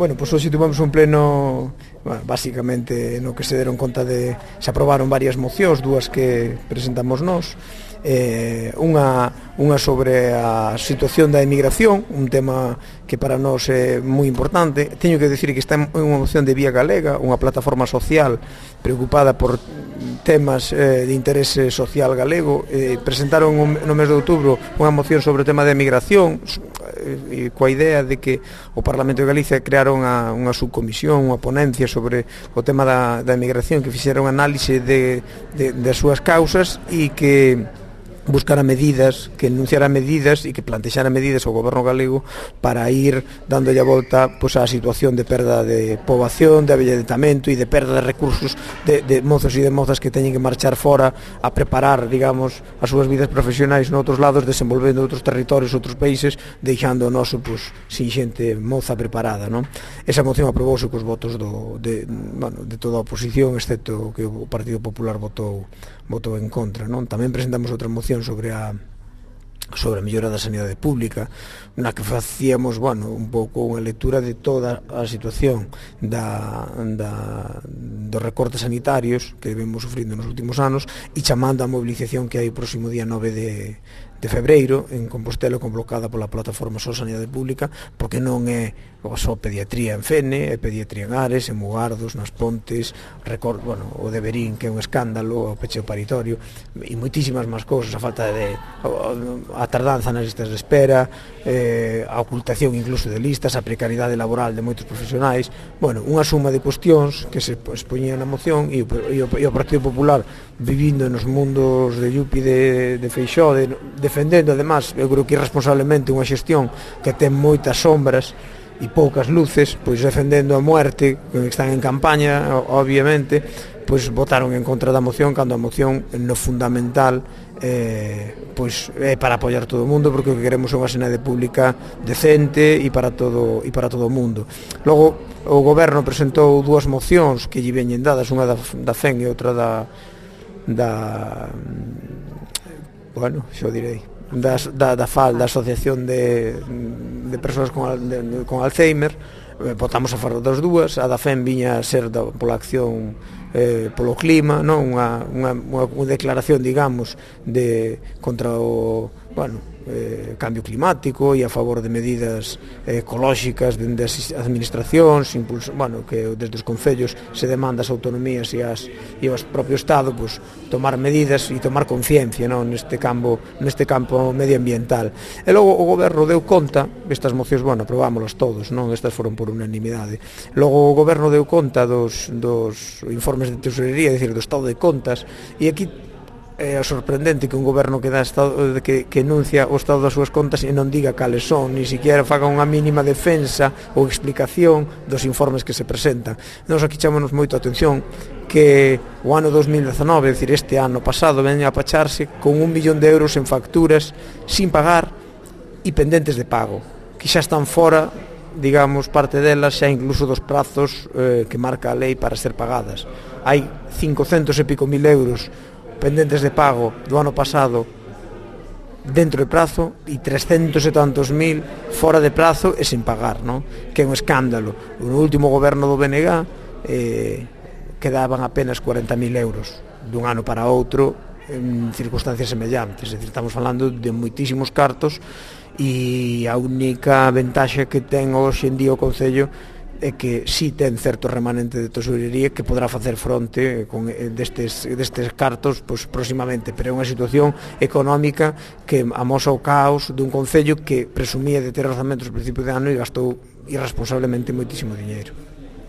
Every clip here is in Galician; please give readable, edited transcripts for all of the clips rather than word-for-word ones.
Bueno, pois hoxe tivemos un pleno, bueno, basicamente no que se deron conta de se aprobaron varias mocións, dúas que presentamos nós, unha sobre a situación da emigración, un tema que para nós é moi importante. Teño que dicir que está en unha moción de Vía Galega, unha plataforma social preocupada por temas de interese social galego. Presentaron no mes de outubro unha moción sobre o tema da emigración, coa idea de que o Parlamento de Galicia crearon unha subcomisión, unha ponencia sobre o tema da emigración, que fixera unha análise das súas causas e que buscara medidas, que enunciara medidas e que plantexara medidas ao goberno galego para ir dándolle a volta pois, á situación de perda de poboación, de avellentamento e de perda de recursos de mozos e de mozas que teñen que marchar fora a preparar, digamos, as súas vidas profesionais noutros lados, desenvolvendo outros territorios, outros países, deixando o noso, pois, sin xente moza preparada, non? Esa moción aprobouse cos votos de toda a oposición, excepto que o Partido Popular votou en contra, non? Tamén presentamos outra moción sobre a mellora da sanidade pública, na que facíamos, bueno, un pouco unha lectura de toda a situación dos recortes sanitarios que vemos sufrindo nos últimos anos e chamando a mobilización que hai o próximo día 9 de febreiro en Compostela, convocada pola plataforma Só Sanidade Pública, porque non é só pediatría en Fene, é pediatría en Ares, en Mugardos, nas Pontes, o de Verín, que é un escándalo, o pecheo paritorio e moitísimas máis cousas, a tardanza nas listas de espera, a ocultación incluso de listas, a precariedade laboral de moitos profesionais, bueno, unha suma de cuestións que se expoñían na moción e o Partido Popular, vivindo nos mundos de Yupi de Feixóo, defendendo, además, eu creo que irresponsablemente unha xestión que ten moitas sombras e poucas luces, pois defendendo a muerte, que están en campaña, obviamente, pois votaron en contra da moción, cando a moción no fundamental pois é para apoiar todo o mundo, porque o que queremos é unha sanidade pública decente e para todo o mundo. Logo, o Goberno presentou dúas mocións que lle veñen dadas, unha da FEN e outra da FAL, da Asociación de Persoas con Alzheimer. Votamos a favor das dúas. A da FEM viña a ser pola acción polo clima, non? Unha declaración, digamos, contra o cambio climático e a favor de medidas ecolóxicas dende as administracións, que desde os concellos se demanda as autonomías e ao propio Estado tomar medidas e tomar conciencia neste campo medioambiental. E logo o Goberno deu conta, estas mocións, aprobámolas todos, estas foron por unanimidade. Logo o Goberno deu conta dos informes de tesorería, é dicir, do estado de contas, e aquí é sorprendente que un goberno que enuncia o estado das súas contas e non diga cales son, ni siquiera faga unha mínima defensa ou explicación dos informes que se presentan. Nos aquí chamámonos moito a atención que o ano 2019, é dicir, este ano pasado, veña a pacharse con 1 millón de euros en facturas sin pagar e pendentes de pago, que xa están fora, digamos, parte delas xa incluso dos prazos que marca a lei para ser pagadas. Hai 500 e pico mil euros pendentes de pago do ano pasado dentro de prazo e 300 e tantos mil fora de prazo e sin pagar, non? Que é un escándalo. No último goberno do BNG quedaban apenas 40.000 euros dun ano para outro en circunstancias semellantes. É dicir, estamos falando de moitísimos cartos e a única ventaxa que ten hoxe en día o Concello é que si ten certo remanente de tesorería que podrá facer fronte destes cartos próximamente, pero é unha situación económica que amosa o caos dun concello que presumía de ter orzamentos ao principio de ano e gastou irresponsablemente moitísimo diñeiro.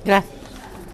Gracias.